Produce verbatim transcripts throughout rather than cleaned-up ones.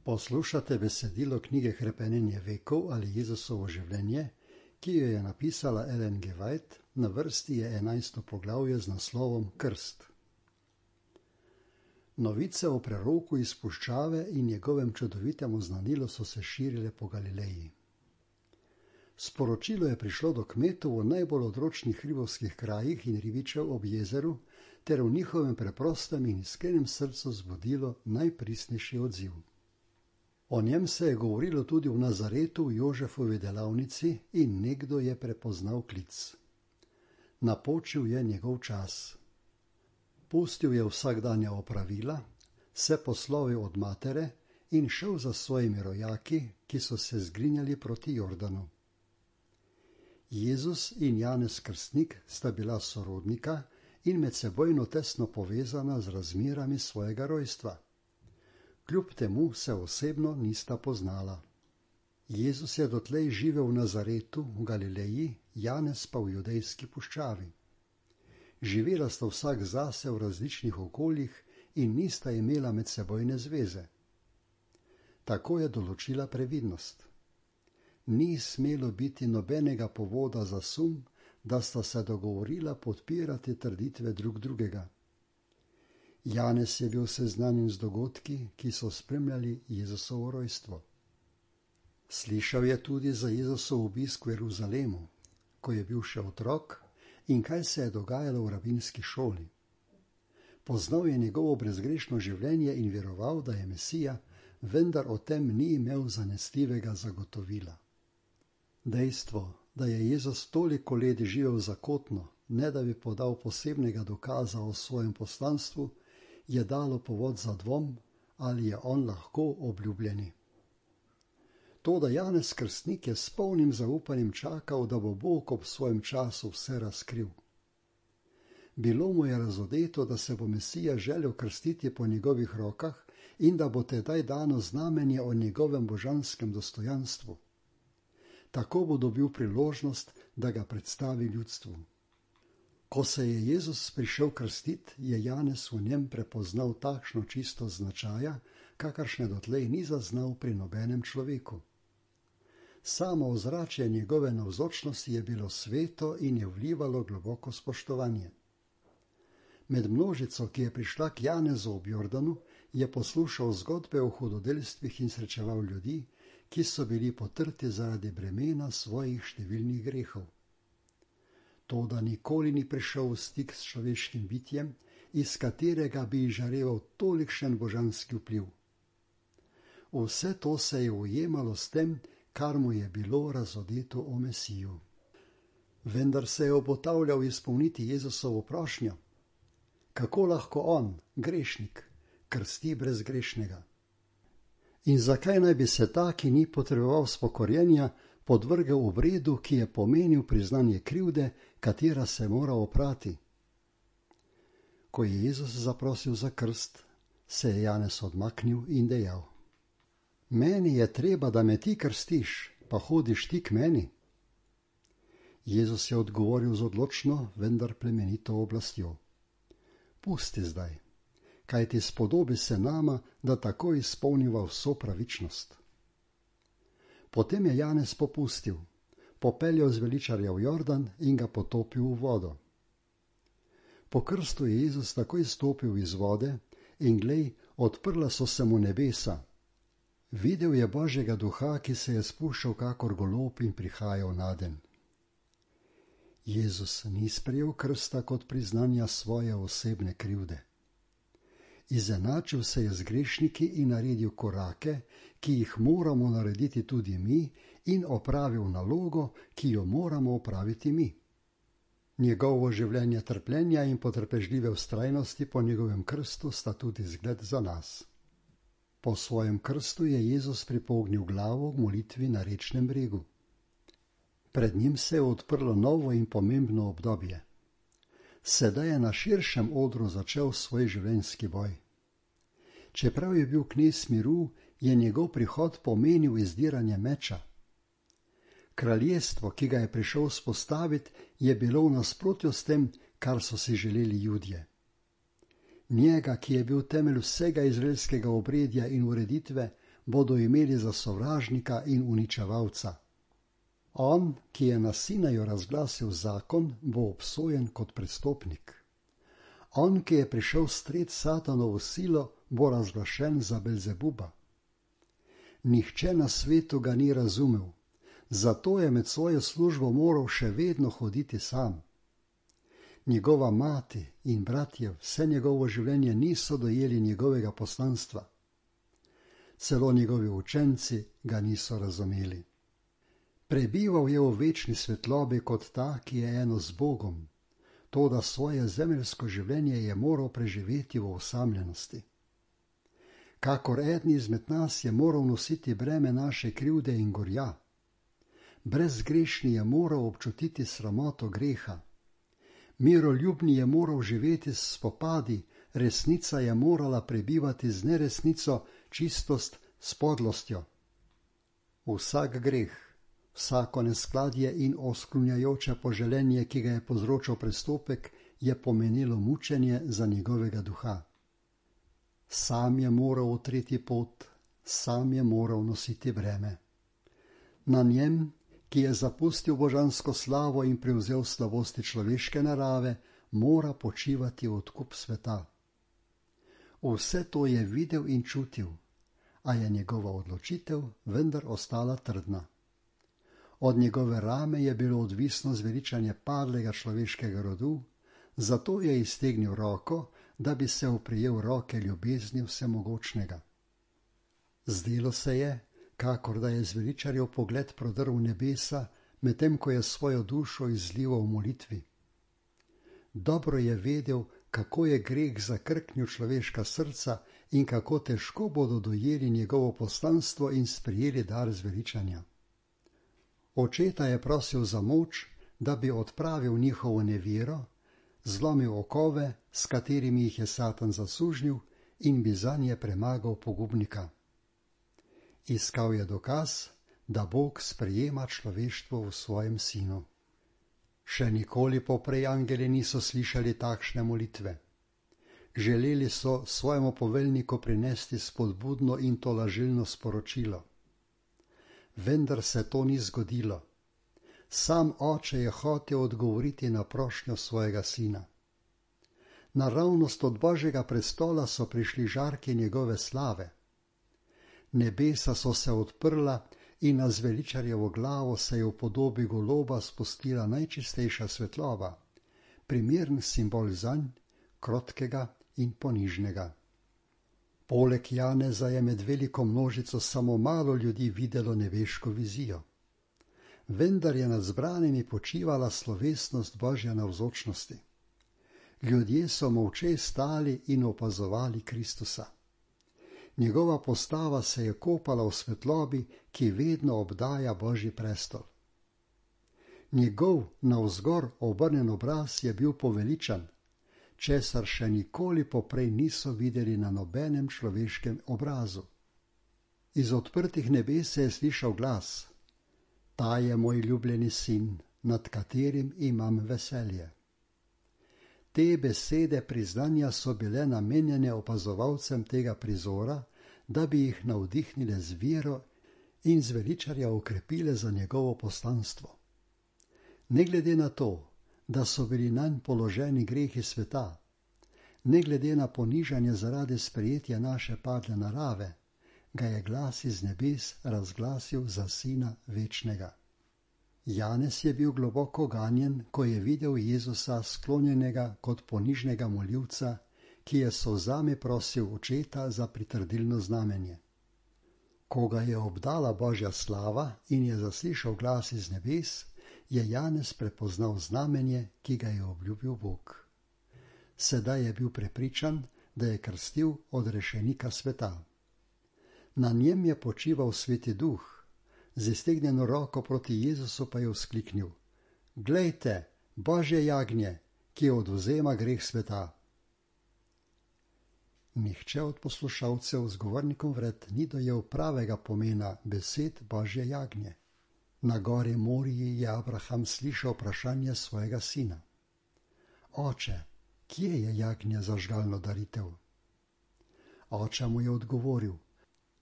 Poslušate besedilo knjige Hrepenenje vekov ali Jezusovo življenje, ki jo je napisala Ellen G. White, na vrsti je enajsto poglavje z naslovom Krst. Novice o preroku iz puščave in njegovem čudovitem oznanilu so se širile po Galileji. Sporočilo je prišlo do kmetov v najbolj odročnih hribovskih krajih in ribičev ob jezeru ter v njihovem preprostem in iskrenem srcu zbudilo najpristnejši odziv. O njem se je govorilo tudi v Nazaretu v Jožefovi delavnici in nekdo je prepoznal klic. Napočil je njegov čas. Pustil je vsakdanja opravila, se poslovil od matere in šel za svojimi rojaki, ki so se zgrinjali proti Jordanu. Jezus in Janez Krstnik sta bila sorodnika in medsebojno tesno povezana z razmerami svojega rojstva. Kljub temu se osebno nista poznala. Jezus je dotlej živel v Nazaretu v Galileji, Janez pa v judejski puščavi. Živela sta vsak zase v različnih okoljih in nista imela medsebojne zveze. Tako je določila previdnost. Ni smelo biti nobenega povoda za sum, da sta se dogovorila podpirati trditve drug drugega. Janez je bil seznanjen z dogodki, ki so spremljali Jezusovo rojstvo. Slišal je tudi za Jezusov obisk v Jeruzalemu, ko je bil še otrok, in kaj se je dogajalo v rabinski šoli. Poznal je njegovo brezgrešno življenje in veroval, da je Mesija, vendar o tem ni imel zanesljivega zagotovila. Dejstvo, da je Jezus toliko let živel zakotno, ne da bi podal posebnega dokaza o svojem poslanstvu, je dalo povod za dvom, ali je on lahko obljubljeni. Toda Janez Krstnik je s polnim zaupanjem čakal, da bo Bog ob svojem času vse razkril. Bilo mu je razodeto, da se bo Mesija želel krstiti po njegovih rokah in da bo tedaj dano znamenje o njegovem božanskem dostojanstvu. Tako bo dobil priložnost, da ga predstavi ljudstvu. Ko se je Jezus prišel krstiti, je Janez v njem prepoznal takšno čistost značaja, kakršne dotlej ni zaznal pri nobenem človeku. Samo ozračje njegove navzočnosti je bilo sveto in je vlivalo globoko spoštovanje. Med množico, ki je prišla k Janezu ob Jordanu, je poslušal zgodbe o hudodelstvih in srečeval ljudi, ki so bili potrti zaradi bremena svojih številnih grehov. Toda nikoli ni prišel v stik s človeškim bitjem, iz katerega bi izžareval tolikšen božanski vpliv. Vse to se je ujemalo s tem, kar mu je bilo razodeto o Mesiju. Vendar se je obotavljal izpolniti Jezusovo prošnjo. Kako lahko on, grešnik, krsti brezgrešnega? In zakaj naj bi se ta, ki ni potreboval spokorjenja, podvrgel obredu, ki je pomenil priznanje krivde, katera se mora oprati? Ko je Jezus zaprosil za krst, se je Janez odmaknil in dejal: Meni je treba, da me ti krstiš, pa hodiš ti k meni? Jezus je odgovoril z odločno, vendar plemenito oblastjo: Pusti zdaj, kajti spodobi se nama, da tako izpolniva vso pravičnost. Potem je Janez popustil, popeljal zveličarja v Jordan in ga potopil v vodo. Po krstu je Jezus takoj stopil iz vode in glej, odprla so se mu nebesa. Videl je Božjega duha, ki se je spuščal kakor golob in prihajal nadenj. Jezus ni sprejel krsta kot priznanja svoje osebne krivde. Izenačil se je z grešniki in naredil korake, ki jih moramo narediti tudi mi, in opravil nalogo, ki jo moramo opraviti mi. Njegovo življenje trpljenja in potrpežljive vztrajnosti po njegovem krstu sta tudi zgled za nas. Po svojem krstu je Jezus pripognil glavo v molitvi na rečnem bregu. Pred njim se je odprlo novo in pomembno obdobje. Sedaj je na širšem odru začel svoj življenjski boj. Čeprav je bil knez miru, je njegov prihod pomenil izdiranje meča. Kraljestvo, ki ga je prišel vzpostaviti, je bilo v nasprotju s tem, kar so si želeli Judje. Njega, ki je bil temelj vsega izraelskega obredja in ureditve, bodo imeli za sovražnika in uničevalca. On, ki je na Sinaju razglasil zakon, bo obsojen kot prestopnik. On, ki je prišel stret Satanovo silo, bo razglašen za Belzebuba. Nihče na svetu ga ni razumel, zato je med svojo službo moral še vedno hoditi sam. Njegova mati in bratje vse njegovo življenje niso dojeli njegovega poslanstva. Celo njegovi učenci ga niso razumeli. Prebival je v večni svetlobi kot ta, ki je eno z Bogom, toda svoje zemeljsko življenje je moral preživeti v osamljenosti. Kakor eden izmed nas je moral nositi breme naše krivde in gorja. Brezgrešni je moral občutiti sramoto greha. Miroljubni je moral živeti s spopadi, resnica je morala prebivati z neresnico, čistost s podlostjo. Vsak greh, vsako neskladje in osklunjajoče poželenje, ki ga je povzročal prestopek, je pomenilo mučenje za njegovega duha. Sam je moral utreti pot, sam je moral nositi breme. Na njem, ki je zapustil božansko slavo in prevzel slabosti človeške narave, mora počivati odkup sveta. Vse to je videl in čutil, a je njegova odločitev vendar ostala trdna. Od njegove rame je bilo odvisno zveličanje padlega človeškega rodu, zato je iztegnil roko, da bi se oprijel roke ljubezni vsemogočnega. Zdelo se je, kakor da je zveličarjev pogled prodrl v nebesa, medtem ko je svojo dušo izlival v molitvi. Dobro je vedel, kako je greh zakrknil človeška srca in kako težko bodo dojeli njegovo poslanstvo in sprejeli dar zveličanja. Očeta je prosil za moč, da bi odpravil njihovo nevero, zlomil okove, s katerimi jih je Satan zasužnil, in bi zanje premagal pogubnika. Iskal je dokaz, da Bog sprejema človeštvo v svojem sinu. Še nikoli poprej angeli niso slišali takšne molitve. Želeli so svojemu poveljniku prinesti spodbudno in tolažilno sporočilo. Vendar se to ni zgodilo. Sam oče je hotel odgovoriti na prošnjo svojega sina. Naravnost od Božjega prestola so prišli žarki njegove slave. Nebesa so se odprla in na zveličarjevo glavo se je v podobi goloba spustila najčistejša svetloba, primern simbol zanj, krotkega in ponižnega. Poleg Janeza je med veliko množico samo malo ljudi videlo nebeško vizijo. Vendar je nad zbranimi počivala slovesnost Božje navzočnosti. Ljudje so molče stali in opazovali Kristusa. Njegova postava se je kopala v svetlobi, ki vedno obdaja Božji prestol. Njegov navzgor obrnjen obraz je bil poveličan, česar še nikoli poprej niso videli na nobenem človeškem obrazu. Iz odprtih nebes se je slišal glas: Ta je moj ljubljeni sin, nad katerim imam veselje. Te besede priznanja so bile namenjene opazovalcem tega prizora, da bi jih navdihnile z vero in zveličarja okrepile za njegovo poslanstvo. Ne glede na to, da so bili nanj položeni grehi sveta, ne glede na ponižanje zaradi sprejetja naše padle narave, ga je glas iz nebes razglasil za sina večnega. Janez je bil globoko ganjen, ko je videl Jezusa sklonjenega kot ponižnega moljivca, ki je s solzami prosil očeta za pritrdilno znamenje. Ko ga je obdala Božja slava in je zaslišal glas iz nebes, je Janez prepoznal znamenje, ki ga je obljubil Bog. Sedaj je bil prepričan, da je krstil odrešenika sveta. Na njem je počival Sveti Duh, z iztegnjeno roko proti Jezusu pa je vzkliknil: Glejte, Božje jagnje, ki odvzema greh sveta. Nihče od poslušalcev z govornikom vred ni dojel pravega pomena besed Božje jagnje. Na gori Moriji je Abraham slišal vprašanje svojega sina: Oče, kje je jagnje za žgalno daritev? Oče mu je odgovoril: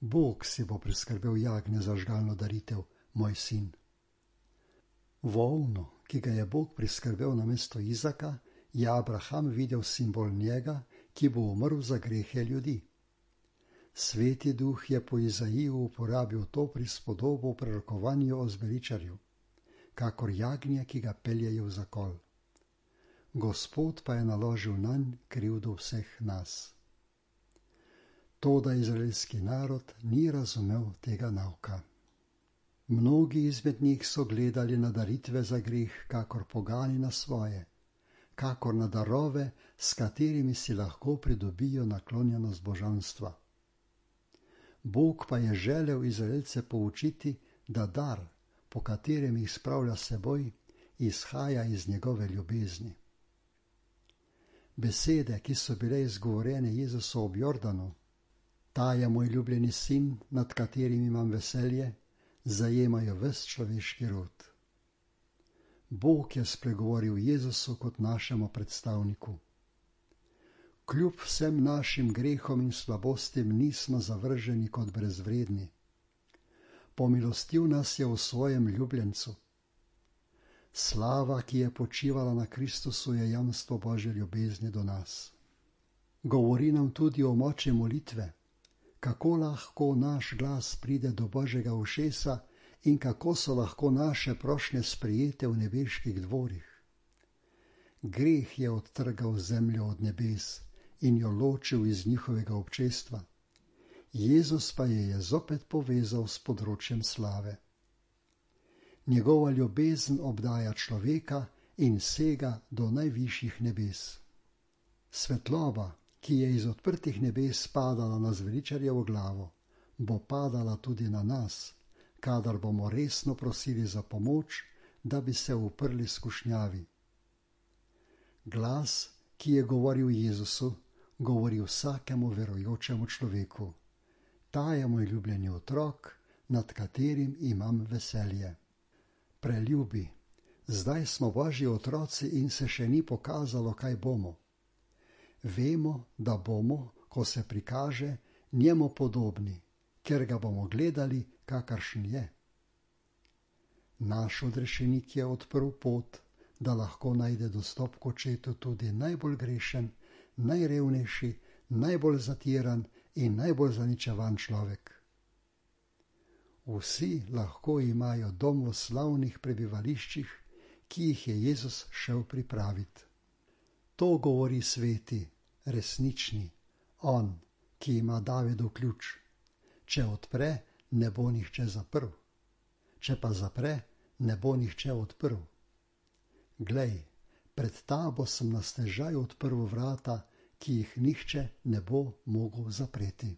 Bog si bo priskrbel jagnje za žgalno daritev, moj sin. Volno, ki ga je Bog priskrbel namesto Izaka, je Abraham videl simbol njega, ki bo umrl za grehe ljudi. Sveti duh je po Izaiju uporabil to prispodobo v prerokovanju o zveličarju, kakor jagnje, ki ga peljejo v zakol. Gospod pa je naložil nanj krivdo vseh nas. Toda izraelski narod ni razumel tega nauka. Mnogi izmed njih so gledali na daritve za greh, kakor pogani na svoje, kakor na darove, s katerimi si lahko pridobijo naklonjenost božanstva. Bog pa je želel Izraelce poučiti, da dar, po katerem jih spravlja seboj, izhaja iz njegove ljubezni. Besede, ki so bile izgovorjene Jezusu ob Jordanu, ta je moj ljubljeni sin, nad katerim imam veselje, zajemajo ves človeški rod. Bog je spregovoril Jezusu kot našemu predstavniku. Kljub vsem našim grehom in slabostim nismo zavrženi kot brezvredni. Pomilostil nas je v svojem ljubljencu. Slava, ki je počivala na Kristusu, je jamstvo Božje ljubezni do nas. Govori nam tudi o moči molitve, kako lahko naš glas pride do Božjega ušesa in kako so lahko naše prošnje sprejete v nebeških dvorih. Greh je odtrgal zemljo od nebes in jo ločil iz njihovega občestva. Jezus pa je je zopet povezal s področjem slave. Njegova ljubezen obdaja človeka in sega do najvišjih nebes. Svetloba, ki je iz odprtih nebes padala na zveličarjevo glavo, bo padala tudi na nas, kadar bomo resno prosili za pomoč, da bi se uprli skušnjavi. Glas, ki je govoril Jezusu, govori vsakemu verujočemu človeku. Ta je moj ljubljeni otrok, nad katerim imam veselje. Preljubi, zdaj smo Božji otroci in se še ni pokazalo, kaj bomo. Vemo, da bomo, ko se prikaže, njemu podobni, ker ga bomo gledali, kakršen je. Naš odrešenik je odprl pot, da lahko najde dostop k očetu tudi najbolj grešen, najrevnejši, najbolj zatiran in najbolj zaničevan človek. Vsi lahko imajo dom v slavnih prebivališčih, ki jih je Jezus šel pripraviti. To govori sveti, resnični, on, ki ima Davidov ključ. Če odpre, ne bo nihče zaprl. Če pa zapre, ne bo nihče odprl. Glej, pred tabo sem na stežaj odprl vrata, ki jih nihče ne bo mogel zapreti.